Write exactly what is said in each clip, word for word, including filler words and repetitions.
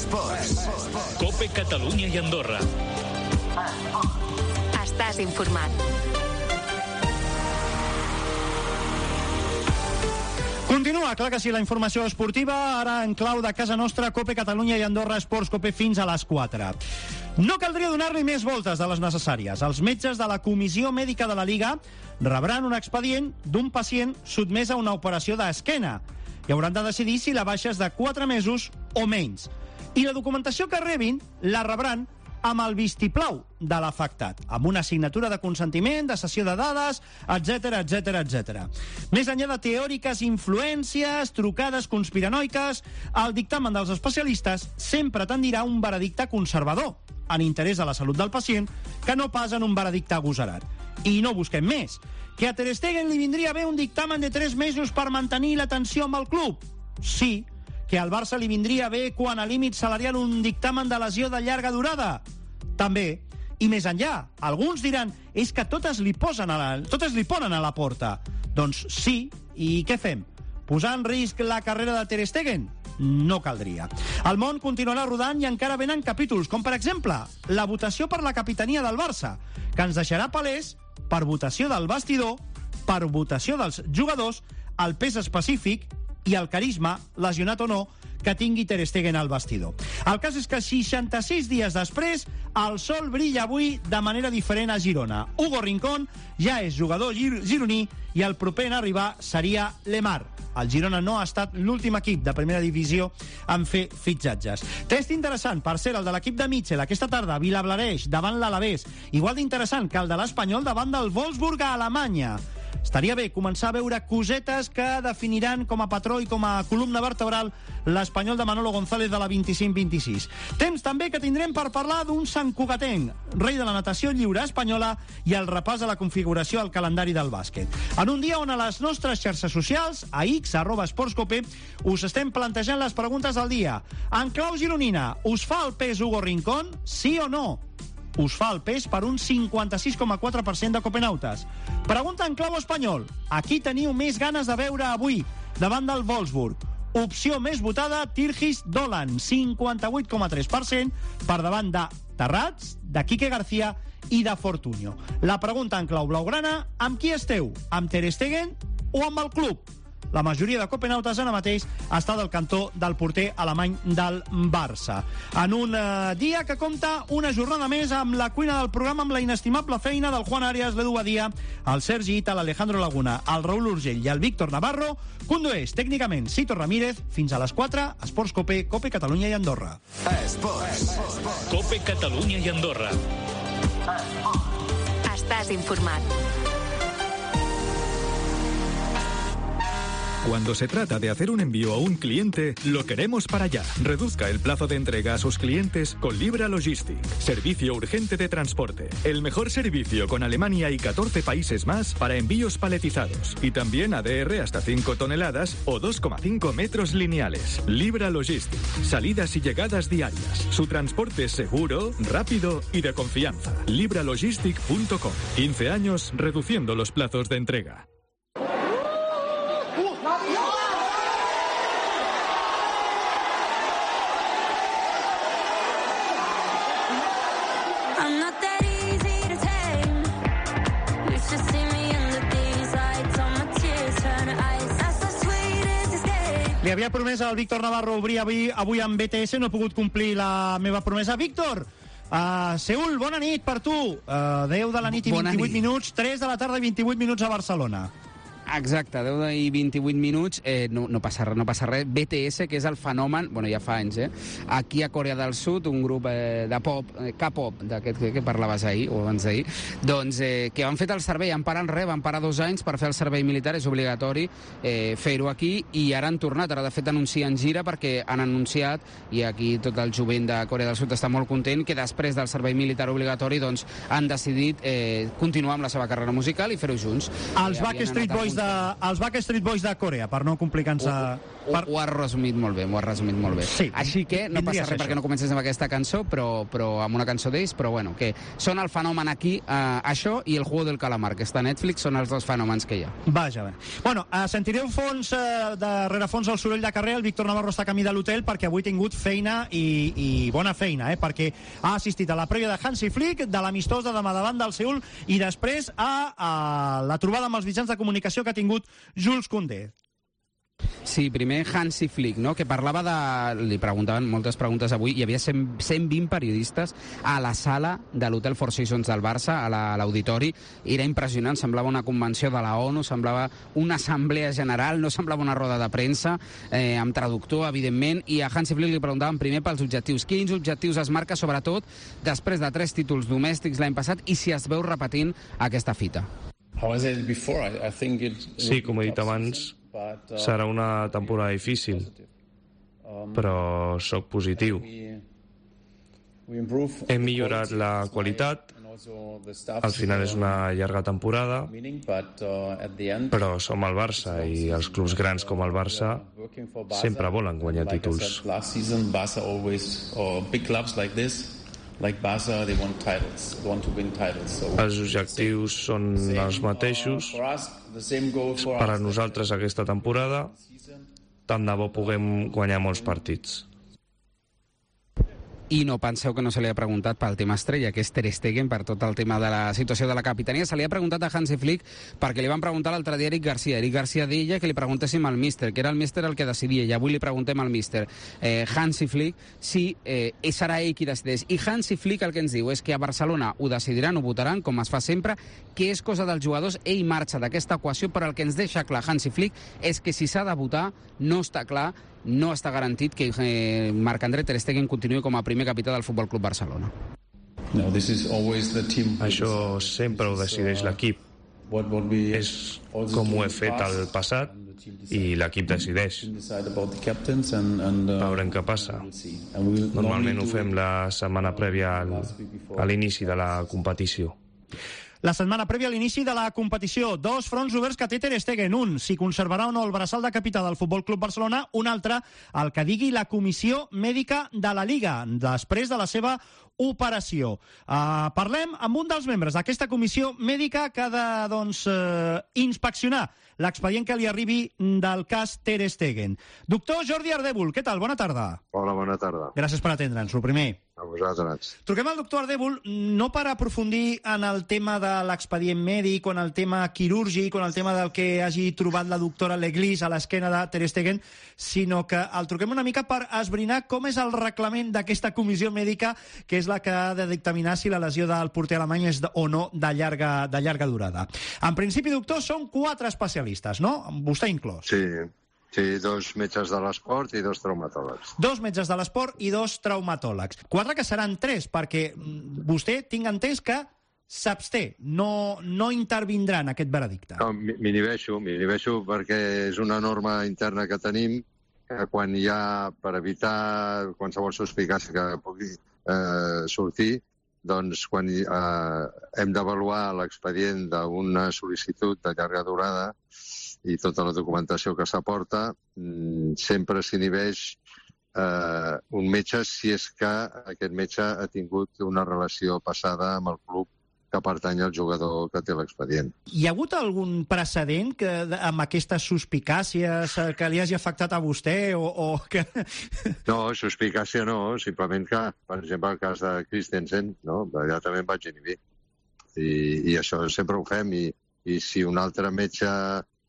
Esports. Cope Catalunya i Andorra. Estàs informat. Continua, clar que sí, la informació esportiva, ara en clau de casa nostra, Cope Catalunya i Andorra Esports Cope fins a les quatre. No caldria donar-li més voltes de les necessàries. Els metges de la Comissió Mèdica de la Lliga rebran un expedient d'un pacient sotmès a una operació d'esquena i hauran de decidir si la baixa és de quatre mesos o menys. I la documentació que rebin la rebran amb el vistiplau de l'afectat, amb una assignatura de consentiment, de cessió de dades, etcètera, etcètera, etcètera. Més enllà de teòriques influències, trucades conspiranoiques, el dictamen dels especialistes sempre tendirà a un veredicte conservador, en interès de la salut del pacient, que no pas en un veredicte agosarat. I no busquem més. Que a Ter Stegen li vindria bé un dictamen de tres mesos per mantenir la tensió amb el club? Sí. Que al Barça li vindria bé quan a límit salarial un dictamen de lesió de llarga durada? També. I més enllà, alguns diran és que totes li posen a la, totes li ponen a la porta. Doncs sí, i què fem? Posar en risc la carrera de Ter Stegen? No caldria. El món continuarà rodant i encara venen capítols, com per exemple la votació per la capitania del Barça, que ens deixarà palès per votació del vestidor, per votació dels jugadors, el pes específic i el carisma, lesionat o no, que tingui Ter Stegen al vestidor. El cas és que seixanta-sis dies després, el sol brilla avui de manera diferent a Girona. Hugo Rincón ja és jugador gir gironí i el proper en arribar seria Lemar. El Girona no ha estat l'últim equip de primera divisió en fer fitxatges. Test interessant, per ser el de l'equip de Mitchell aquesta tarda, Vilablareix davant l'Alavés. Igual d'interessant que el de l'Espanyol davant del Wolfsburg a Alemanya. Estaria bé començar a veure cosetes que definiran com a patró i com a columna vertebral l'Espanyol de Manolo González de la vint-i-cinc vint-i-sis. Temps també que tindrem per parlar d'un Sant Cugatenc, rei de la natació lliure espanyola, i el repàs a la configuració al calendari del bàsquet. En un dia on a les nostres xarxes socials, a X, arroba esportscope, us estem plantejant les preguntes del dia. En clau gironina, us fa el pes Hugo Rincón? Sí o no? Us fa el pes per un cinquanta-sis coma quatre per cent de copenautes. Pregunta en clau espanyol. A qui teniu més ganes de veure avui davant del Wolfsburg? Opció més votada, Tirgis Dolan, cinquanta-vuit coma tres per cent, per davant de Terrats, de Quique García i de Fortunyo. La pregunta en clau blaugrana, amb qui esteu? Amb Ter Stegen o amb el club? La majoria de copenautes ara mateix està del cantó del porter alemany del Barça. En un eh, dia que compta una jornada més amb la cuina del programa, amb la inestimable feina del Juan Arias, l'Edu Badia, el Sergi Ita, l'Alejandro Laguna, el Raúl Urgell i el Víctor Navarro, condueix tècnicament Cito Ramírez. Fins a les quatre, Esports Cope, Cope Catalunya i Andorra. Esports. Cope Catalunya i Andorra. Estàs informat. Cuando se trata de hacer un envío a un cliente, lo queremos para allá. Reduzca el plazo de entrega a sus clientes con Libra Logistic. Servicio urgente de transporte. El mejor servicio con Alemania y catorce países más para envíos paletizados. Y también A D R hasta cinco toneladas o dos coma cinco metros lineales. Libra Logistic. Salidas y llegadas diarias. Su transporte es seguro, rápido y de confianza. libra logistic punto com. quince años reduciendo los plazos de entrega. Li havia promès al Víctor Navarro obrir avui, avui amb B T S, no he pogut complir la meva promesa. Víctor, uh, Seül, bona nit per tu. Uh, deu de la nit i Bona vint-i-vuit nit. minuts, tres de la tarda i vint-i-vuit minuts a Barcelona. Exacte, deu i vint-i-vuit minuts, eh, no, no, passa, no passa res. B T S, que és el fenomen, bueno, ja fa anys, eh? Aquí a Corea del Sud, un grup eh, de pop, eh, K-pop, d'aquest que, que parlaves ahir, o abans d'ahir, doncs, eh, que han fet el servei, han parat res, van parar dos anys per fer el servei militar, és obligatori eh, fer-ho aquí, i ara han tornat, ara de fet anuncien gira, perquè han anunciat, i aquí tot el jovent de Corea del Sud està molt content, que després del servei militar obligatori, doncs, han decidit eh, continuar amb la seva carrera musical i fer-ho junts. Els Eh, Backstreet havien anat Boys de, els Backstreet Boys de Corea, per no complicar-nos... Per... Ho has resumit molt bé, ho has resumit molt bé. Sí, Així que no passa res perquè no comences amb aquesta cançó, però, però amb una cançó d'ells, però bueno, que són el fenomen aquí, eh, això i el Juego del Calamar, que està a Netflix, són els dos fenòmens que hi ha. Vaja, bé. Bueno, eh, sentireu fons, eh, darrere fons el soroll de carrer, el Víctor Navarro està a camí de l'hotel perquè avui ha tingut feina i, i bona feina, eh, perquè ha assistit a la prèvia de Hansi Flick, de l'amistós de demà davant del Seül i després a, a la trobada amb els mitjans de comunicació que ha tingut Jules Koundé. Sí, primer Hansi Flick, no? Que parlava de... Li preguntaven moltes preguntes avui. Hi havia cent, cent vint periodistes a la sala de l'Hotel Four Seasons del Barça, a l'auditori. Era impressionant, semblava una convenció de la ONU, semblava una assemblea general, no semblava una roda de premsa, eh, amb traductor, evidentment, i a Hansi Flick li preguntaven primer pels objectius. Quins objectius es marca, sobretot, després de tres títols domèstics l'any passat, i si es veu repetint aquesta fita? Sí, com he dit abans, serà una temporada difícil, però sóc positiu. Hem millorat la qualitat, al final és una llarga temporada, però som el Barça i els clubs grans com el Barça sempre volen guanyar títols. Els objectius són els mateixos. Per a nosaltres aquesta temporada, tant de bo puguem guanyar molts partits. I no penseu que no se li ha preguntat pel tema estrella, que és Ter Stegen, per tot el tema de la situació de la capitania. Se li ha preguntat a Hansi Flick perquè li van preguntar l'altre dia a Eric Garcia. Eric Garcia deia que li preguntéssim al míster, que era el míster el que decidia, i avui li preguntem al míster eh, Hansi Flick si eh, serà ell qui decideix. I Hansi Flick el que ens diu és que a Barcelona ho decidiran, ho votaran, com es fa sempre, que és cosa dels jugadors. Ell marxa d'aquesta equació, però el que ens deixa clar Hansi Flick és que si s'ha de votar no està clar, no està garantit que eh, Marc-André Ter Stegen continuï com a primer capità del Futbol Club Barcelona. No, això sempre ho decideix l'equip. És com ho he fet al passat i l'equip decideix. Veurem què passa. Normalment ho fem la setmana prèvia al, a l'inici de la competició. La setmana prèvia a l'inici de la competició. Dos fronts oberts que té Ter Stegen. Un, si conservarà o no el braçal de capità del Futbol Club Barcelona. Un altre, el que digui la comissió mèdica de la Liga, després de la seva operació. Uh, parlem amb un dels membres d'aquesta comissió mèdica que ha de doncs, uh, inspeccionar l'expedient que li arribi del cas Ter Stegen. Doctor Jordi Ardèvol, què tal? Bona tarda. Hola, bona tarda. Gràcies per atendre'ns, el primer. A vosaltres. Truquem al doctor Ardèvol no per aprofundir en el tema de l'expedient mèdic o en el tema quirúrgic o en el tema del que hagi trobat la doctora Leglis a l'esquena de Ter Stegen, sinó que el truquem una mica per esbrinar com és el reglament d'aquesta comissió mèdica, que és la que ha de dictaminar si la lesió del porter alemany és o no de llarga, de llarga durada. En principi, doctor, són quatre especialistes, no? Vostè inclòs. Sí. Sí, dos metges de l'esport i dos traumatòlegs. Dos metges de l'esport i dos traumatòlegs. Quatre que seran tres, perquè vostè tinc entès que s'absté, no, no intervindrà en aquest veredicte. No, m'inhibeixo, m'inhibeixo perquè és una norma interna que tenim que quan hi ha, per evitar qualsevol suspicàcia que pugui eh, sortir, doncs quan eh, hem d'avaluar l'expedient d'una sol·licitud de llarga durada i tota la documentació que s'aporta, sempre s'inhibeix eh, un metge si és que aquest metge ha tingut una relació passada amb el club que pertany al jugador que té l'expedient. Hi ha hagut algun precedent que, amb aquestes suspicàcies que li hagi afectat a vostè? O, o que... No, suspicàcia no, simplement que, per exemple, el cas de Christensen, no? Allà també em vaig inhibir. I, i això sempre ho fem, i, i si un altre metge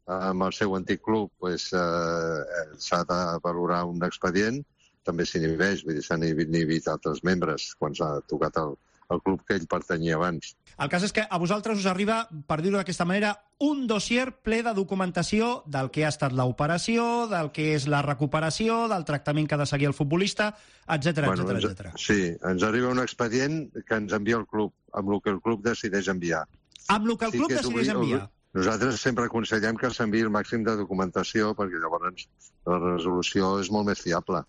amb el seu antic club pues, eh, s'ha de valorar un expedient, també s'inhibeix, vull dir, s'han inhibit altres membres quan s'ha tocat el, el club que ell pertanyia abans. El cas és que a vosaltres us arriba, per dir-ho d'aquesta manera, un dossier ple de documentació del que ha estat l'operació, del que és la recuperació, del tractament que ha de seguir el futbolista, etcètera, bueno, etcètera, ens, etcètera. Sí, ens arriba un expedient que ens envia el club, amb el que el club decideix enviar. Amb el que el club sí decideix enviar? Nosaltres sempre aconsellem que s'enviï el màxim de documentació perquè llavors la resolució és molt més fiable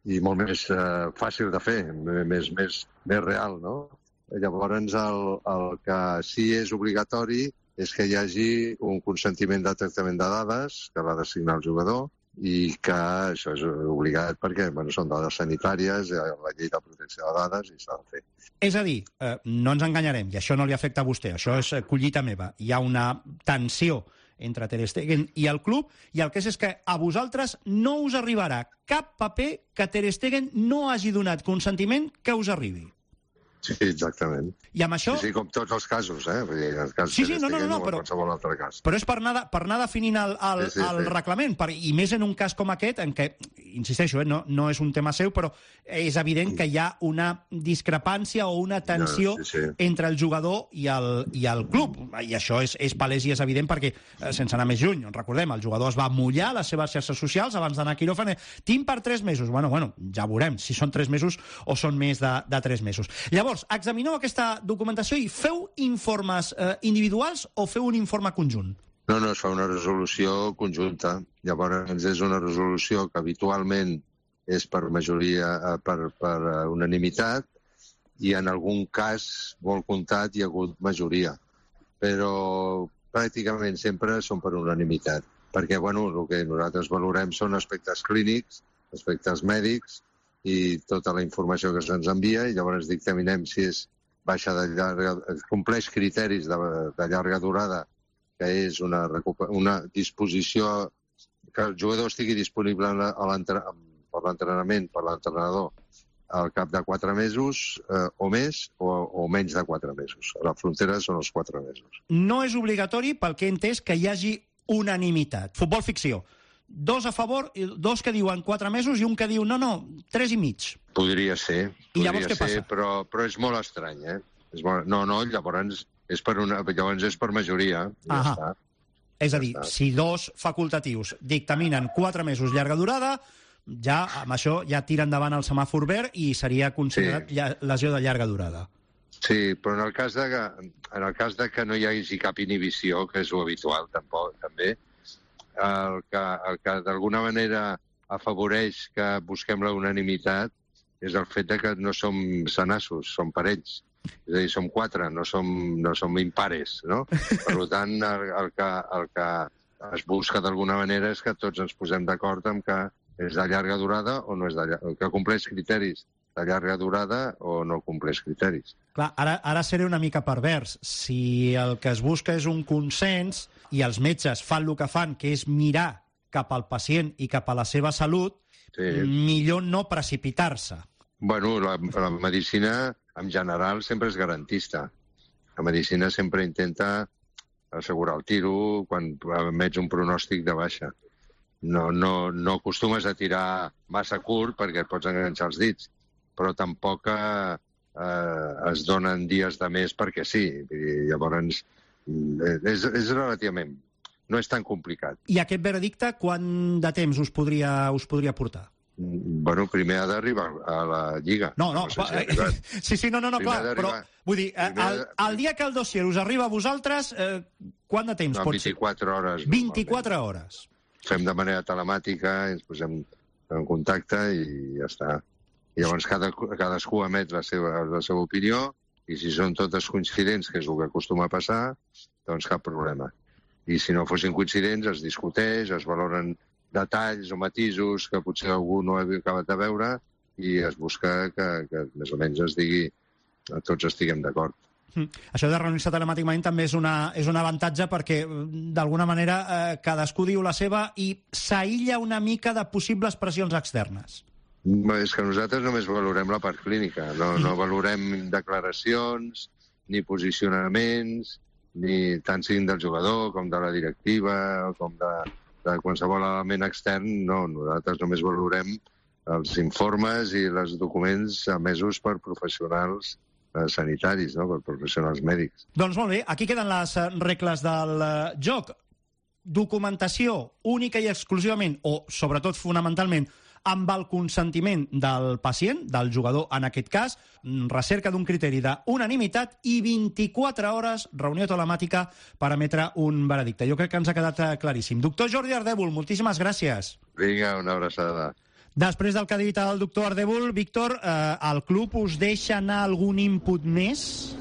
i molt més eh, fàcil de fer, més, més, més real, no? Llavors el, el que sí és obligatori és que hi hagi un consentiment de tractament de dades que l'ha de signar el jugador i que això és obligat perquè bueno, són dades sanitàries, la llei de protecció de dades i s'ha de fer. És a dir, eh, no ens enganyarem, i això no li afecta a vostè, això és collita meva. Hi ha una tensió entre Ter Stegen i el club, i el que és és que a vosaltres no us arribarà cap paper que Ter Stegen no hagi donat consentiment que us arribi. Sí, exactament. I amb això... Sí, sí, com tots els casos, eh? Vull dir, en el cas sí, sí, Ter no, no, Stegen no, o però, qualsevol altre cas. Però és per anar, per anar definint el, el, sí, sí, el sí. reglament, per, i més en un cas com aquest, en què, insisteixo, eh, no, no és un tema seu, però és evident que hi ha una discrepància o una tensió no, sí, sí. entre el jugador i el, i el club. I això és, és palès i és evident perquè, eh, sense anar més lluny, recordem, el jugador es va mullar a les seves xarxes socials abans d'anar a quiròfan. Tinc per tres mesos. Bueno, bueno, ja veurem si són tres mesos o són més de, de tres mesos. Llavors, examineu aquesta documentació i feu informes eh, individuals o feu un informe conjunt? No, no, es fa una resolució conjunta. Llavors és una resolució que habitualment és per majoria, per, per unanimitat, i en algun cas, molt comptat, hi ha hagut majoria. Però pràcticament sempre són per unanimitat. Perquè, bueno, el que nosaltres valorem són aspectes clínics, aspectes mèdics, i tota la informació que se'ns envia, i llavors dictaminem si és baixa de llarga, compleix criteris de, de llarga durada, que és una, una disposició, que el jugador estigui disponible a per l'entrenament, per l'entrenador, al cap de quatre mesos eh, o més, o, o menys de quatre mesos. A la frontera són els quatre mesos. No és obligatori, pel que he entès, que hi hagi unanimitat. Futbol ficció. Dos a favor, dos que diuen quatre mesos i un que diu no, no, tres i mig. Podria ser, I llavors podria què ser, passa? però, però és molt estrany, eh? És molt... No, no, llavors és per, una... llavors és per majoria. Ja Ahà. està. És a Ja dir, està. si dos facultatius dictaminen quatre mesos llarga durada, ja amb això ja tira endavant el semàfor verd i seria considerat Sí. lla- lesió de llarga durada. Sí, però en el cas de que, en el cas de que no hi hagi cap inhibició, que és lo habitual tampoc, també, el que, el que d'alguna manera afavoreix que busquem la unanimitat és el fet de que no som senassos, som parells. És a dir, som quatre, no som, no som impares, no? Per tant, el, el, que, el que es busca d'alguna manera és que tots ens posem d'acord amb que és de llarga durada o no és de llarga, que compleix criteris de llarga durada o no compleix criteris. Clar, ara, ara seré una mica pervers. Si el que es busca és un consens i els metges fan el que fan, que és mirar cap al pacient i cap a la seva salut, Sí. millor no precipitar-se. Bueno, la, la medicina en general sempre és garantista. La medicina sempre intenta assegurar el tiro quan emets un pronòstic de baixa. No, no, no acostumes a tirar massa curt perquè et pots enganxar els dits, però tampoc eh, es donen dies de més perquè sí. I llavors és, és relativament... No és tan complicat. I aquest veredicte, quant de temps us podria, us podria portar? Bueno, primer ha d'arribar a la Lliga. No, no, no sé si ha eh, arribat. sí, sí, no, no, no Primer clar, però d'arribar- vull dir, eh, primer el, de- el dia que el dossier us arriba a vosaltres, eh, quant de temps No, pot ser? vint-i-quatre hores. vint-i-quatre hores. Fem de manera telemàtica, ens posem en contacte i ja està. I llavors cada, cadascú emet la seva, la seva opinió i si són totes coincidents, que és el que acostuma a passar, doncs cap problema. I si no fossin coincidents, es discuteix, es valoren detalls o matisos que potser algú no ha acabat de veure i es busca que, que més o menys es digui que tots estiguem d'acord. Mm. Això de reunir-se telemàticament també és, una, és un avantatge perquè, d'alguna manera, eh, cadascú diu la seva i s'aïlla una mica de possibles pressions externes. És que nosaltres només valorem la part clínica, no, no valorem declaracions, ni posicionaments, ni tant siguin del jugador com de la directiva, com de, de qualsevol element extern, no. Nosaltres només valorem els informes i els documents emesos per professionals eh, sanitaris, no? Per professionals mèdics. Doncs molt bé, aquí queden les eh, regles del eh, joc. Documentació única i exclusivament, o sobretot fonamentalment, amb el consentiment del pacient, del jugador en aquest cas, recerca d'un criteri d'unanimitat i vint-i-quatre hores reunió telemàtica per emetre un veredicte. Jo crec que ens ha quedat claríssim. Doctor Jordi Ardèvol, moltíssimes gràcies. Vinga, una abraçada. Després del que ha dit el doctor Ardèvol, Víctor, eh, el club us deixa anar algun input més?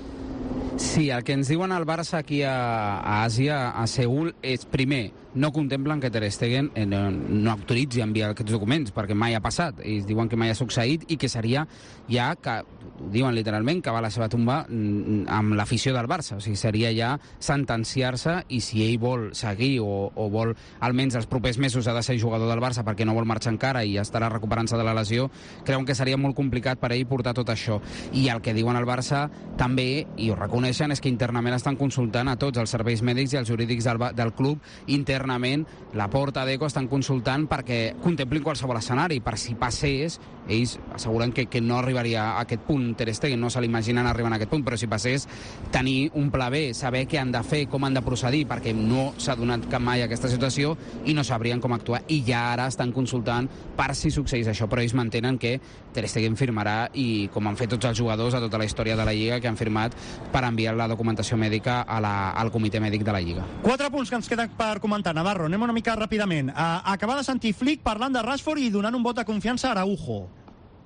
Sí, el que ens diuen al Barça aquí a, a Àsia, a Seül, és, primer, no contemplen que Ter Stegen eh, no, no autoritzi a enviar aquests documents, perquè mai ha passat. Ells diuen que mai ha succeït i que seria ja, que ho diuen literalment, que va a la seva tomba amb l'afició del Barça. O sigui, seria ja sentenciar-se, i si ell vol seguir o, o vol, almenys els propers mesos, ha de ser jugador del Barça perquè no vol marxar encara i estarà recuperant-se de la lesió, creuen que seria molt complicat per ell portar tot això. I el que diuen al Barça també, i ho reconeixen, és que internament estan consultant a tots els serveis mèdics i els jurídics del, del club. Internament, la Porta d'Eco estan consultant perquè contemplin qualsevol escenari, per si passés, ells asseguren que, que no arribaria a aquest punt Ter Stegen, no se l'imaginen arribant a aquest punt, però si passés, tenir un pla B, saber què han de fer, com han de procedir, perquè no s'ha donat cap mai aquesta situació i no sabrien com actuar, i ja ara estan consultant per si succeís això, però ells mantenen que Ter Stegen firmarà, i com han fet tots els jugadors a tota la història de la Lliga, que han firmat per enviar la documentació mèdica a la, al comitè mèdic de la Lliga. Quatre punts que ens queden per comentar. Navarro, anem una mica ràpidament. Uh, acabar de sentir Flick parlant de Rashford i donant un vot de confiança a Araujo.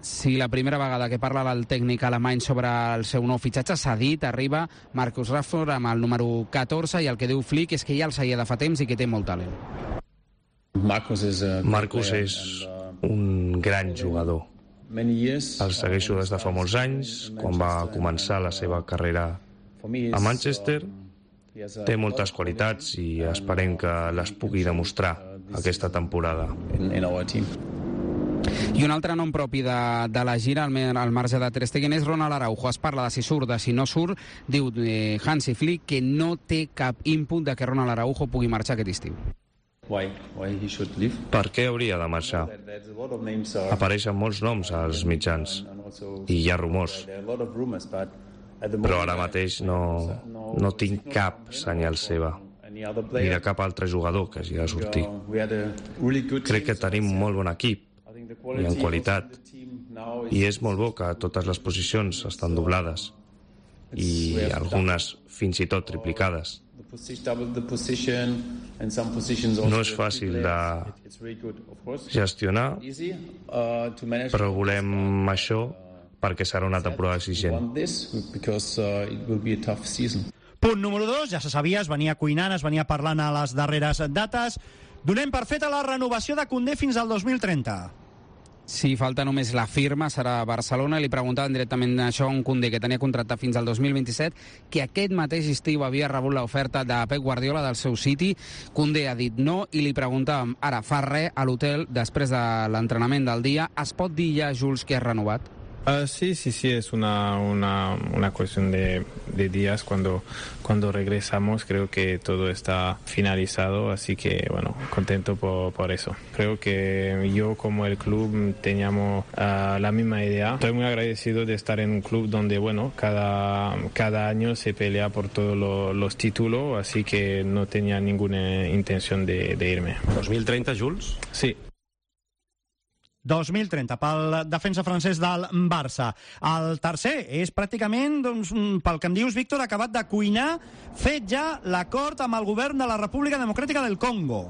Sí, la primera vegada que parla el tècnic alemany sobre el seu nou fitxatge, s'ha dit, arriba Marcus Rashford amb el número catorze, i el que diu Flick és que ja el seguia de fa temps i que té molt talent. Marcus és, Marcus és un gran jugador. El segueixo des de fa molts anys, quan va començar la seva carrera a Manchester. Té moltes qualitats i esperem que les pugui demostrar aquesta temporada. I un altre nom propi de, de la gira, al, al marge de Ter Stegen, és Ronald Araujo. Es parla de si surt, de si no surt. Diu eh, Hansi Flick que no té cap input de que Ronald Araujo pugui marxar aquest estiu. Why? Why he should leave? Per què hauria de marxar? Apareixen molts noms als mitjans i hi ha rumors, però ara mateix no, no tinc cap senyal seva ni de cap altre jugador que hagi de sortir. Crec que tenim un molt bon equip i en qualitat, i és molt bo que totes les posicions estan doblades i algunes fins i tot triplicades. No és fàcil de gestionar, però volem això perquè serà una temporada exigent. Punt número dos, ja se sabia, es venia cuinant, es venia parlant a les darreres dates. Donem per feta la renovació de Koundé fins al dos mil trenta. Sí, falta només la firma, serà a Barcelona. Li preguntaven directament això a un Koundé que tenia contracte fins al dos mil vint-i-set, que aquest mateix estiu havia rebut l'oferta de Pep Guardiola del seu City. Koundé ha dit no, i li preguntàvem, ara fa res a l'hotel després de l'entrenament del dia, es pot dir ja, Jules, que has renovat? Uh, sí, sí, sí, es una, una, una cuestión de, de días. Cuando, cuando regresamos creo que todo está finalizado, así que bueno, contento por, por eso. Creo que yo como el club teníamos uh, la misma idea. Estoy muy agradecido de estar en un club donde bueno, cada, cada año se pelea por todos lo, los títulos, así que no tenía ninguna intención de, de irme. dos mil trenta, Jules? Sí. dos mil trenta, pel defensa francès del Barça. El tercer és pràcticament, doncs, pel que em dius, Víctor, acabat de cuinar, fet ja l'acord amb el govern de la República Democràtica del Congo.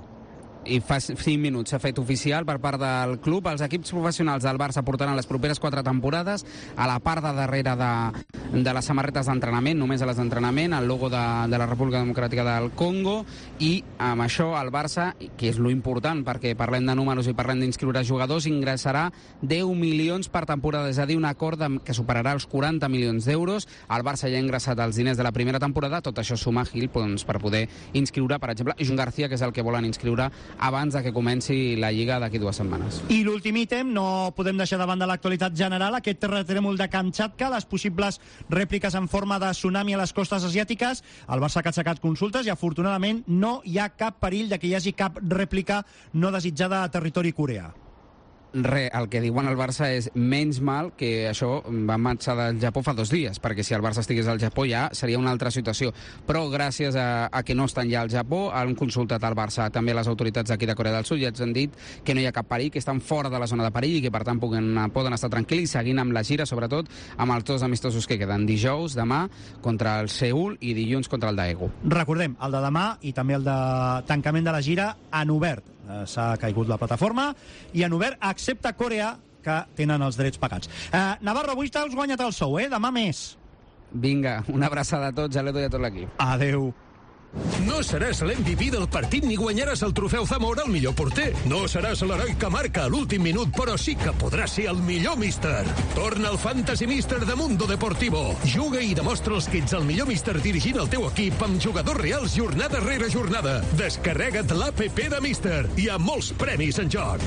I fa cinc minuts s'ha fet oficial per part del club. Els equips professionals del Barça portaran les properes quatre temporades a la part de darrere de, de les samarretes d'entrenament, només a les d'entrenament, el logo de, de la República Democràtica del Congo, i amb això el Barça, que és lo important perquè parlem de números i parlem d'inscriure jugadors, ingressarà deu milions per temporada, és a dir, un acord de, que superarà els quaranta milions d'euros. El Barça ja ha ingressat els diners de la primera temporada, tot això suma Gil doncs, per poder inscriure, per exemple, Joan García, que és el que volen inscriure abans de que comenci la Lliga d'aquí dues setmanes. I l'últim ítem, no podem deixar davant de l'actualitat general, aquest terratrèmol de Kamchatka, les possibles rèpliques en forma de tsunami a les costes asiàtiques. El Barça ha aixecat consultes i afortunadament no hi ha cap perill de que hi hagi cap rèplica no desitjada a territori coreà. Re, el que diuen al Barça és menys mal que això va marxar del Japó fa dos dies, perquè si el Barça estigués al Japó ja seria una altra situació. Però gràcies a, a que no estan ja al Japó, han consultat al Barça també les autoritats d'aquí de Corea del Sud i ens han dit que no hi ha cap perill, que estan fora de la zona de perill i que per tant poden, poden estar tranquils seguint amb la gira, sobretot amb els dos amistosos que queden dijous, demà contra el Seül i dilluns contra el Daegu. Recordem, el de demà i també el de tancament de la gira han obert. S'ha caigut la plataforma i han obert, excepte Corea, que tenen els drets pagats. Eh, Navarro, avui t'has guanyat el sou, eh? Demà més. Vinga, una abraçada a tots, a l'Edo i a tot l'equip. Adeu. No seràs l'M V P del partit ni guanyaràs el trofeu Zamora al millor porter. No seràs l'heroi que marca a l'últim minut, però sí que podràs ser el millor míster. Torna al Fantasy Míster de Mundo Deportivo. Juga i demostra els que ets el millor míster dirigint el teu equip amb jugadors reals jornada rere jornada. Descarrega't l'A P P de Míster. Hi ha molts premis en joc.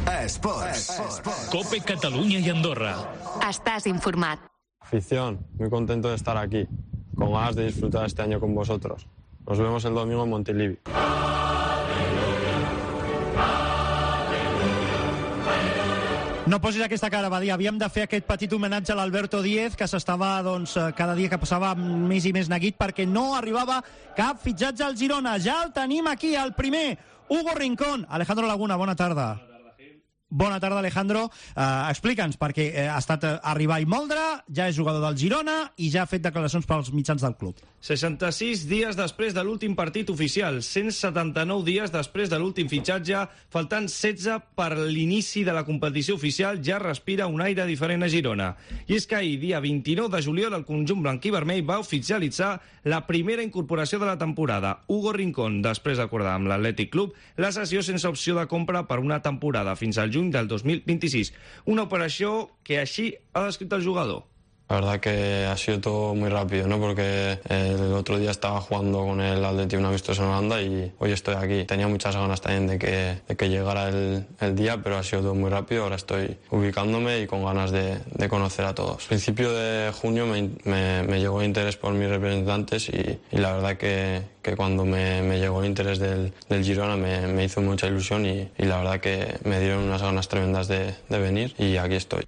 Esports. Cope Catalunya i Andorra. Estàs informat. Afición, muy contento de estar aquí, con ganas de disfrutar este año con vosotros. Nos vemos el domingo en Montilivi. No posis aquesta cara, va dir. Havíem de fer aquest petit homenatge a l'Alberto Díez, que s'estava, doncs, cada dia que passava més i més neguit perquè no arribava cap fitxatge al Girona. Ja el tenim aquí, el primer, Hugo Rincón. Alejandro Laguna, bona tarda. Bona tarda, Alejandro. Uh, Explica'ns, perquè uh, ha estat uh, arribar i moldre, ja és jugador del Girona i ja ha fet declaracions pels mitjans del club. seixanta-sis dies després de l'últim partit oficial, cent setanta-nou dies després de l'últim fitxatge, faltant setze per l'inici de la competició oficial, ja respira un aire diferent a Girona. I és que ahir, dia vint-i-nou de juliol, el conjunt blanquí-vermell va oficialitzar la primera incorporació de la temporada. Hugo Rincón, després d'acordar amb l'Atlètic Club la cessió sense opció de compra per una temporada fins al juny del dos mil vint-i-sis. Una operació que així ha descrit el jugador. La verdad que ha sido todo muy rápido, ¿no? Porque el otro día estaba jugando con el Atleti un amistoso en Holanda y hoy estoy aquí. Tenía muchas ganas también de que, de que llegara el, el día, pero ha sido todo muy rápido. Ahora estoy ubicándome y con ganas de, de conocer a todos. Al principio de junio me, me, me llegó interés por mis representantes y, y la verdad que, que cuando me, me llegó el interés del, del Girona me, me hizo mucha ilusión y, y la verdad que me dieron unas ganas tremendas de, de venir y aquí estoy.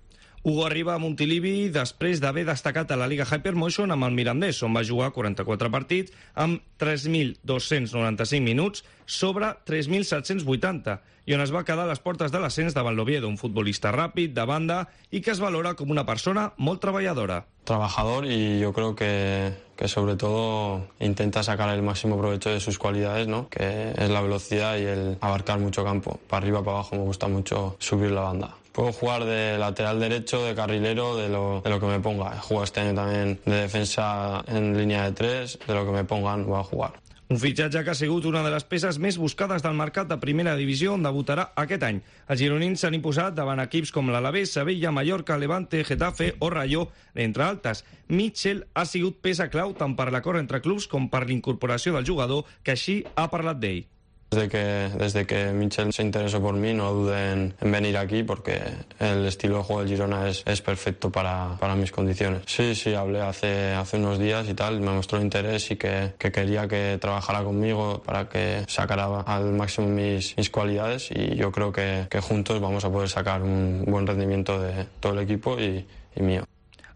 Hugo arriba a Montilivi després d'haver destacat a la Liga Hypermotion amb el Mirandés, on va jugar quaranta-quatre partits amb tres mil dos-cents noranta-cinc minuts sobre tres mil set-cents vuitanta i on es va quedar a les portes de l'ascens davant l'Oviedo, un futbolista ràpid, de banda i que es valora com una persona molt treballadora. Trabajador y yo creo que, que sobre todo intenta sacar el máximo provecho de sus cualidades, ¿no? Que es la velocidad y el abarcar mucho campo. Para arriba, para abajo me gusta mucho subir la banda. Puedo jugar de lateral derecho, de carrilero, de lo, de lo que me ponga. He jugado este año también de defensa en línea de tres, de lo que me pongan voy a jugar. Un fitxatge que ha sigut una de les peces més buscades del mercat de primera divisió on debutarà aquest any. Els gironins s'han imposat davant equips com l'Alavés, Sevilla, Mallorca, Levante, Getafe o Rayo, entre altres. Mitchell ha sigut peça clau tant per l'acord entre clubs com per l'incorporació del jugador, que així ha parlat d'ell. Desde que, desde que Mitchell se interesó por mí, no duden en venir aquí porque el estilo de juego del Girona es, es perfecto para, para mis condiciones. Sí, sí, hablé hace, hace unos días y tal, me mostró interés y que, que quería que trabajara conmigo para que sacara al máximo mis, mis cualidades y yo creo que, que juntos vamos a poder sacar un buen rendimiento de todo el equipo y, y mío.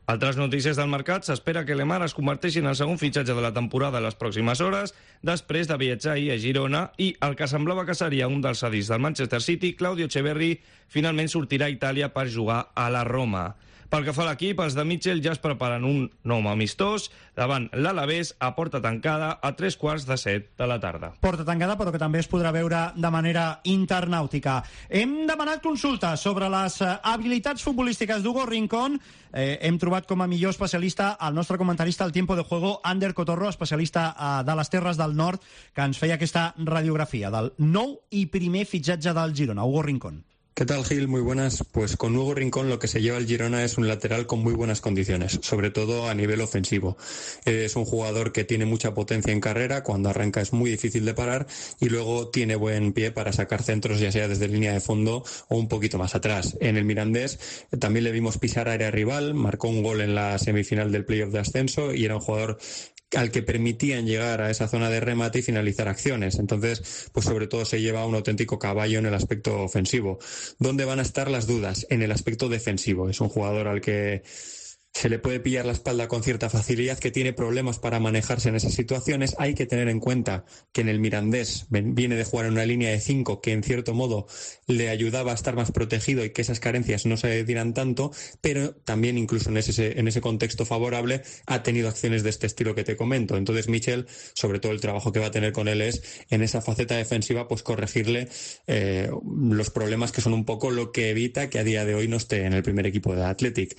Altres notícies del mercat, s'espera que Lemar es converteixi en el segon fitxatge de la temporada a les pròximes hores, després de viatjar ahir a Girona, i el que semblava que seria un dels cedits del Manchester City, Claudio Echeverri, finalment sortirà a Itàlia per jugar a la Roma. Pel que fa a l'equip, els de Mitchell ja es preparen un nom amistós davant l'Alavés a porta tancada a tres quarts de set de la tarda. Porta tancada, però que també es podrà veure de manera internàutica. Hem demanat consulta sobre les habilitats futbolístiques d'Hugo Rincón. Eh, hem trobat com a millor especialista el nostre comentarista al Tiempo de Juego, Ander Cotorro, especialista eh, de les Terres del Nord, que ens feia aquesta radiografia del nou i primer fitxatge del Girona, Hugo Rincón. ¿Qué tal, Gil? Muy buenas. Pues con Hugo Rincón lo que se lleva el Girona es un lateral con muy buenas condiciones, sobre todo a nivel ofensivo. Es un jugador que tiene mucha potencia en carrera, cuando arranca es muy difícil de parar y luego tiene buen pie para sacar centros, ya sea desde línea de fondo o un poquito más atrás. En el Mirandés también le vimos pisar área rival, marcó un gol en la semifinal del playoff de ascenso y era un jugador al que permitían llegar a esa zona de remate y finalizar acciones. Entonces, pues sobre todo se lleva un auténtico caballo en el aspecto ofensivo. ¿Dónde van a estar las dudas? En el aspecto defensivo. Es un jugador al que se le puede pillar la espalda con cierta facilidad, que tiene problemas para manejarse en esas situaciones. Hay que tener en cuenta que en el Mirandés viene de jugar en una línea de cinco que en cierto modo le ayudaba a estar más protegido y que esas carencias no se dieran tanto, pero también incluso en ese, en ese contexto favorable ha tenido acciones de este estilo que te comento. Entonces Mitchell, sobre todo el trabajo que va a tener con él es en esa faceta defensiva, pues corregirle eh, los problemas que son un poco lo que evita que a día de hoy no esté en el primer equipo de Athletic.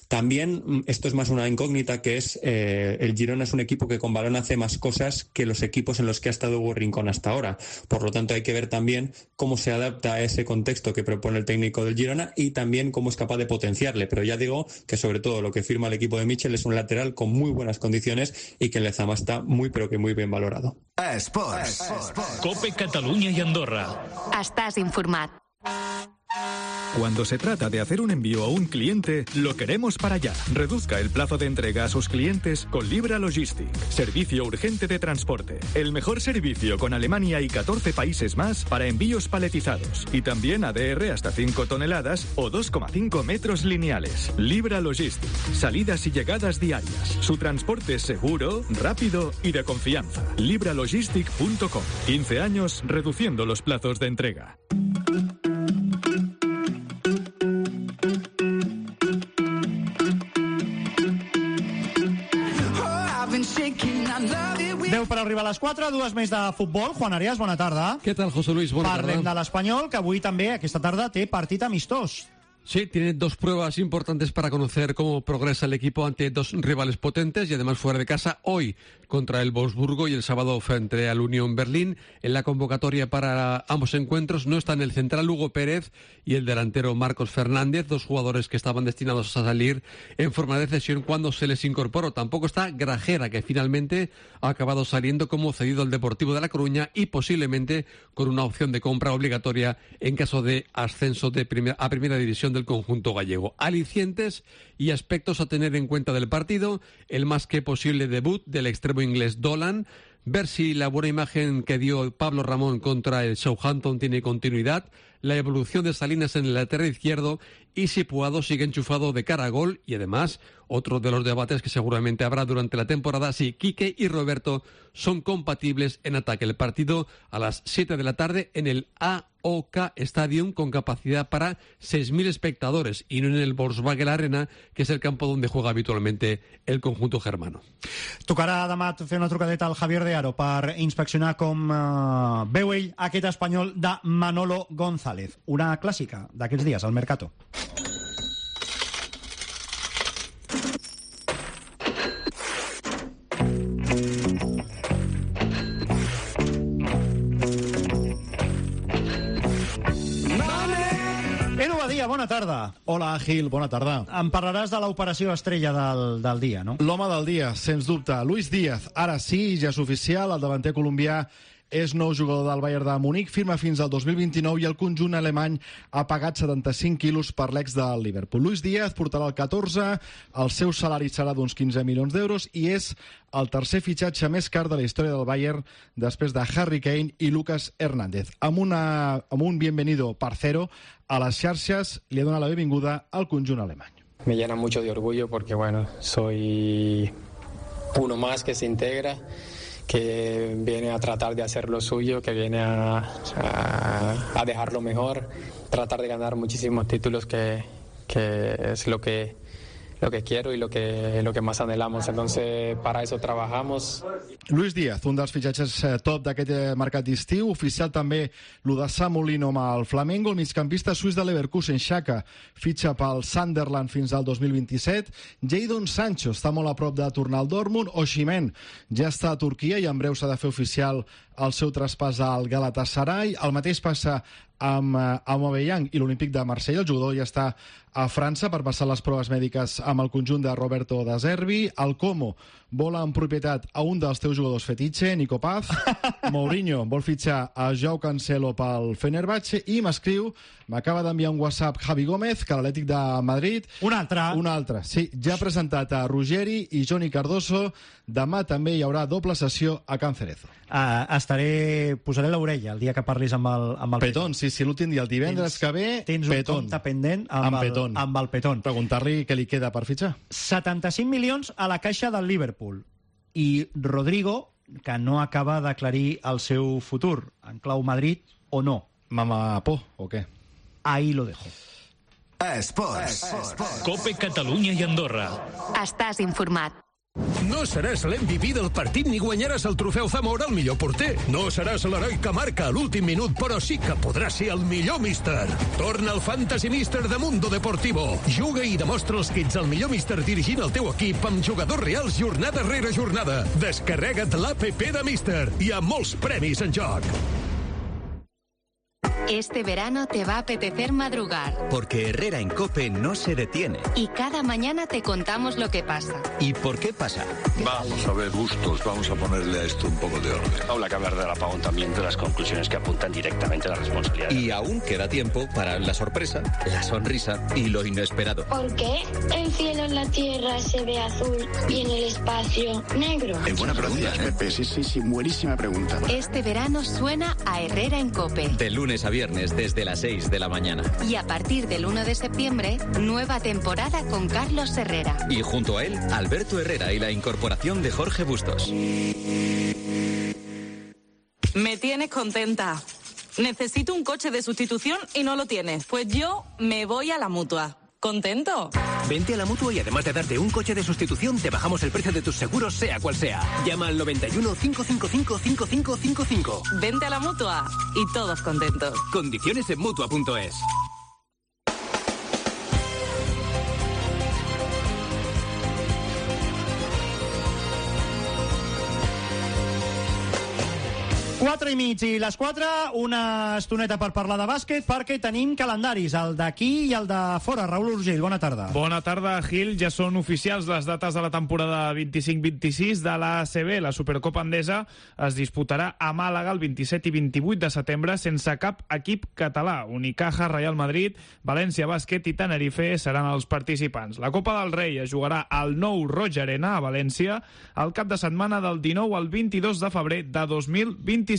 También, esto es más una incógnita, que es eh, el Girona es un equipo que con balón hace más cosas que los equipos en los que ha estado Hugo Rincón hasta ahora. Por lo tanto, hay que ver también cómo se adapta a ese contexto que propone el técnico del Girona y también cómo es capaz de potenciarle. Pero ya digo que sobre todo lo que firma el equipo de Michel es un lateral con muy buenas condiciones y que Lezama está muy pero que muy bien valorado. Esports. Cope Catalunya y Andorra. Estàs informat. Cuando se trata de hacer un envío a un cliente, lo queremos para allá. Reduzca el plazo de entrega a sus clientes con Libra Logistic. Servicio urgente de transporte. El mejor servicio con Alemania y catorce países más para envíos paletizados. Y también A D R hasta cinco toneladas o dos coma cinco metros lineales. Libra Logistic. Salidas y llegadas diarias. Su transporte es seguro, rápido y de confianza. libralogistic punto com. quince años reduciendo los plazos de entrega. deu per arribar a les quatre, dues més de futbol. Juan Arias, bona tarda. Què tal, José Luis? Bona Parlem tarda. de l'Espanyol, que avui també, aquesta tarda, té partit amistós. Sí, tiene dos pruebas importantes para conocer cómo progresa el equipo ante dos rivales potentes y además fuera de casa. Hoy contra el Wolfsburgo y el sábado frente al Unión Berlín. En la convocatoria para ambos encuentros no están el central Hugo Pérez y el delantero Marcos Fernández, dos jugadores que estaban destinados a salir en forma de cesión cuando se les incorporó. Tampoco está Grajera, que finalmente ha acabado saliendo como cedido al Deportivo de La Coruña y posiblemente con una opción de compra obligatoria en caso de ascenso de primer, a primera división del conjunto gallego. Alicientes y aspectos a tener en cuenta del partido: el más que posible debut del extremo inglés Dolan, ver si la buena imagen que dio Pablo Ramón contra el Southampton tiene continuidad, la evolución de Salinas en el lateral izquierdo y si Puado sigue enchufado de cara a gol, y además otro de los debates que seguramente habrá durante la temporada, si Quique y Roberto son compatibles en ataque. El partido a las siete de la tarde en el A O K Stadium, con capacidad para seis mil espectadores y no en el Volkswagen Arena, que es el campo donde juega habitualmente el conjunto germano. Tocarà demà fer una trucadeta al Javier de Aro per inspeccionar com uh, veu ell aquest espanyol de Manolo González. Una clàssica d'aquests dies al Mercato. Bona tarda. Hola, Gil, bona tarda. Em parlaràs de l'operació estrella del, del dia, no? L'home del dia, sens dubte. Luis Díaz, ara sí, ja és oficial, el davanter colombià és nou jugador del Bayern de Munic, firma fins al dos mil vint-i-nou i el conjunt alemany ha pagat setanta-cinc quilos per l'ex del Liverpool. Luis Díaz portarà el catorze, el seu salari serà d'uns quinze milions d'euros i és el tercer fitxatge més car de la història del Bayern després de Harry Kane i Lucas Hernández. Amb, una, amb un bienvenido parcero a les xarxes li ha donat la benvinguda al conjunt alemany. Me llena mucho de orgullo porque, bueno, soy uno más que se integra, que viene a tratar de hacer lo suyo, que viene a, a, a dejar lo mejor, tratar de ganar muchísimos títulos, que, que es lo que, lo que quiero y lo que, lo que más anhelamos. Entonces, para eso trabajamos. Luis Díaz, un dels fitxatges top d'aquest mercat d'estiu, oficial també lo de Samolino amb el Flamengo, el migcampista suís de Leverkusen, Xhaka, fitxa pel Sunderland fins al dos mil vint-i-set, Jadon Sancho està molt a prop de tornar al Dortmund, Osimhen ja està a Turquia i en breu s'ha de fer oficial el seu traspàs al Galatasaray. El mateix passa amb Aubameyang i l'Olímpic de Marsella. El jugador ja està a França per passar les proves mèdiques amb el conjunt de Roberto De Zerbi. El Como vola en propietat a un dels teus jugadors fetitxe, Nico Paz. Mourinho vol fitxar a Joao Cancelo pel Fenerbahce i m'escriu, m'acaba d'enviar un WhatsApp Javi Gómez, que l'Atlètic de Madrid... Un altre. Un altre, sí. Ja ha presentat a Ruggeri i Johnny Cardoso. Demà també hi haurà doble sessió a Can Cerezo. Uh, estaré... Posaré l'orella el dia que parlis amb el, amb el Petón. Sí, sí, l'últim dia, el divendres tens, que ve, tens Petón. un compte pendent amb, amb, el, Petón. amb el Petón. Preguntar-li què li queda per fitxar. setanta-cinc milions a la caixa del Liverpool. I Rodrigo, que no acaba d'aclarir el seu futur, en clau Madrid o no. Mamapó, o què? Ahí lo dejo. Esports. Cope Catalunya i Andorra. Estàs informat. No seràs l'M V P del partit ni guanyaràs el trofeu Zamora al millor porter. No seràs l'heroi que marca a l'últim minut, però sí que podràs ser el millor míster. Torna al Fantasy Mister de Mundo Deportivo. Juga i demostra els que ets el millor míster dirigint el teu equip amb jugadors reals jornada rere jornada. Descarrega't l'app de Mister. Hi ha molts premis en joc. Este verano te va a apetecer madrugar. Porque Herrera en COPE no se detiene. Y cada mañana te contamos lo que pasa. ¿Y por qué pasa? Vamos a ver, Bustos, vamos a ponerle a esto un poco de orden. Habla que hablar del apagón también, de las conclusiones que apuntan directamente a la responsabilidad. Y aún queda tiempo para la sorpresa, la sonrisa y lo inesperado. ¿Por qué el cielo en la tierra se ve azul y en el espacio negro? Es buena pregunta, Pepe. Sí, sí, sí, buenísima pregunta. Este verano suena a Herrera en COPE. De lunes a viernes desde las seis de la mañana. Y a partir del uno de septiembre, nueva temporada con Carlos Herrera. Y junto a él, Alberto Herrera y la incorporación de Jorge Bustos. Me tienes contenta. Necesito un coche de sustitución y no lo tienes. Pues yo me voy a la Mutua. ¿Contento? Vente a la Mutua y además de darte un coche de sustitución, te bajamos el precio de tus seguros, sea cual sea. Llama al noventa y uno, cinco cinco cinco, cinco cinco cinco cinco. Vente a la Mutua y todos contentos. Condiciones en Mutua punto es. Quatre i mig i les quatre, una estoneta per parlar de bàsquet, perquè tenim calendaris, el d'aquí i el de fora. Raül Urgell, bona tarda. Bona tarda, Gil. Ja són oficials les dates de la temporada vint-i-cinc vint-i-sis de l'A C B. La Supercopa Endesa es disputarà a Màlaga el vint-i-set i vint-i-vuit de setembre sense cap equip català. Unicaja, Real Madrid, València Bàsquet i Tenerife seran els participants. La Copa del Rei es jugarà al nou Roig Arena, a València, el cap de setmana del dinou al vint-i-dos de febrer de dos mil vint-i-sis.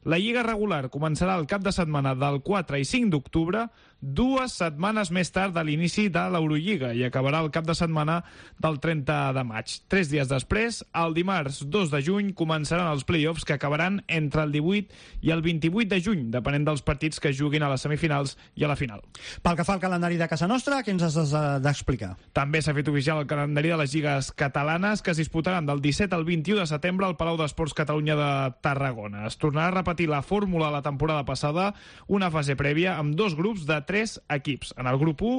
La Lliga regular començarà el cap de setmana del quatre i cinc d'octubre, dues setmanes més tard de l'inici de l'Eurolliga, i acabarà el cap de setmana del trenta de maig. Tres dies després, el dimarts dos de juny, començaran els play-offs que acabaran entre el divuit i el vint-i-vuit de juny, depenent dels partits que juguin a les semifinals i a la final. Pel que fa al calendari de casa nostra, què ens has d'explicar? També s'ha fet oficial el calendari de les lligues catalanes, que es disputaran del disset al vint-i-u de setembre al Palau d'Esports Catalunya de Tarragona. Es tornarà a repetir la fórmula de la temporada passada, una fase prèvia amb dos grups de tres equips. En el grup u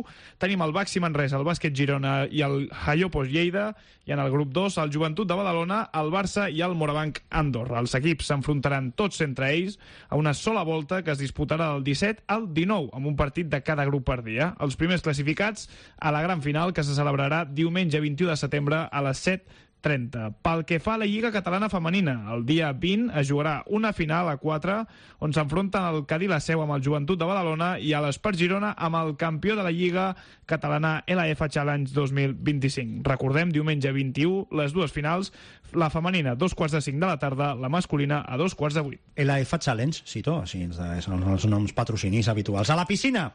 tenim el Baxi Manresa, el Bàsquet Girona i el Jaiopos Lleida, i en el grup dos el Joventut de Badalona, el Barça i el Morabanc Andorra. Els equips s'enfrontaran tots entre ells a una sola volta que es disputarà del disset al dinou, amb un partit de cada grup per dia. Els primers classificats a la gran final, que se celebrarà diumenge vint-i-u de setembre a les set trenta. Pel que fa a la Lliga Catalana Femenina, el dia vint es jugarà una final a quatre on s'enfronten el Cadí la Seu amb el Joventut de Badalona i a l'Espart Girona amb el campió de la Lliga Catalana L F Challenge dos mil vint-i-cinc. Recordem, diumenge vint-i-u, les dues finals, la femenina a dos quarts de cinc de la tarda, la masculina a dos quarts de vuit. L F Challenge, cito, així són els noms patrocinis habituals. A la piscina!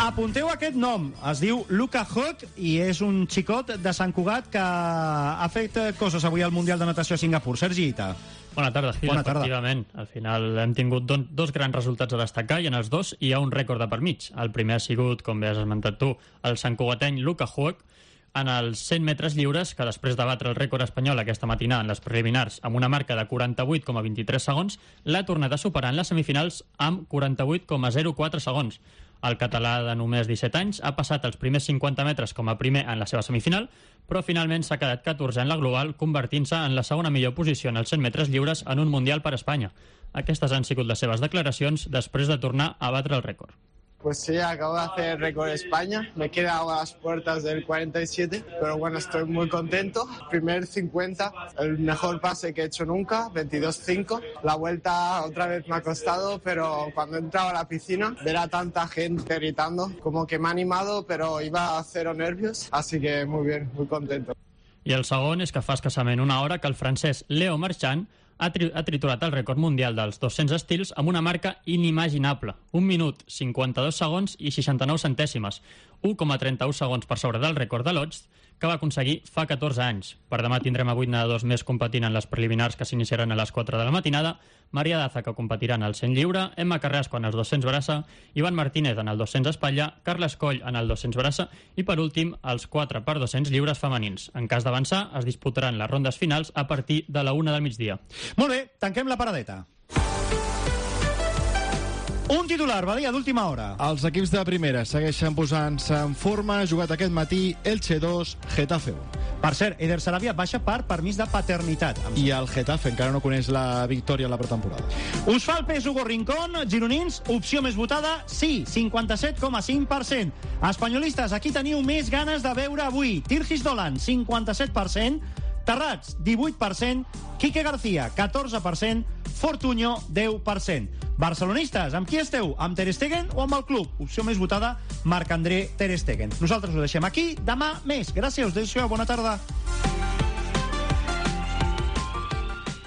Apunteu aquest nom, es diu Luka Hock i és un xicot de Sant Cugat que ha fet coses avui al Mundial de Natació a Singapur. Sergi Ita. Bona tarda, Gil. Bona tarda. Efectivament, al final hem tingut don, dos grans resultats a destacar i en els dos hi ha un rècord de per mig. El primer ha sigut, com bé has esmentat tu, el santcugateny Luka Hock en els cent metres lliures, que després de batre el rècord espanyol aquesta matinada en les preliminars amb una marca de quaranta-vuit coma vint-i-tres segons, l'ha tornat a superar en les semifinals amb quaranta-vuit coma zero quatre segons. El català de només disset anys ha passat els primers cinquanta metres com a primer en la seva semifinal, però finalment s'ha quedat catorzè en la global, convertint-se en la segona millor posició en els cent metres lliures en un Mundial per Espanya. Aquestes han sigut les seves declaracions després de tornar a batre el rècord. Pues sí, acabo de hacer récord de España. Me he quedado a las puertas del cuarenta y siete, pero bueno, estoy muy contento. Primer cincuenta, el mejor pase que he hecho nunca, veintidós cinco. La vuelta otra vez me ha costado, pero cuando he entrado a la piscina, ver a tanta gente gritando, como que me ha animado, pero iba a cero nervios, así que muy bien, muy contento. I el segon és que fa escassament una hora que el francès Leo Marchand ha, tri ha triturat el rècord mundial dels dos-cents estils amb una marca inimaginable. un minut, cinquanta-dos segons i seixanta-nou centèsimes, u coma trenta-u segons per sobre del rècord de Lodz, que va aconseguir fa catorze anys. Per demà tindrem a vuit nedadors més competint en les preliminars que s'iniciaran a les quatre de la matinada, Maria Daza, que competirà en el cent lliure, Emma Carrasco en els dos-cents braça, Ivan Martínez en el dos-cents espatlla, Carles Coll en el dos-cents braça i, per últim, els quatre per dos-cents lliures femenins. En cas d'avançar, es disputaran les rondes finals a partir de la una del migdia. Molt bé, tanquem la paradeta. Un titular, Badia, d'última hora. Els equips de primera segueixen posant-se en forma. Jugat aquest matí, Elche dos, Getafe un. Per cert, Eder Sarabia baixa per permís de paternitat. I el Getafe encara no coneix la victòria en la pretemporada. Us fa el pes Hugo Rincón, gironins, opció més votada, sí, cinquanta-set coma cinc per cent. Espanyolistes, aquí teniu més ganes de veure avui. Tirgis Dolan, cinquanta-set per cent. Terrats, divuit per cent. Quique García, catorze per cent. Fortuño, deu per cent. Barcelonistes, amb qui esteu? Amb Ter Stegen o amb el club? Opció més votada, Marc-André Ter Stegen. Nosaltres ho deixem aquí. Demà més. Gràcies, us deixo. Bona tarda.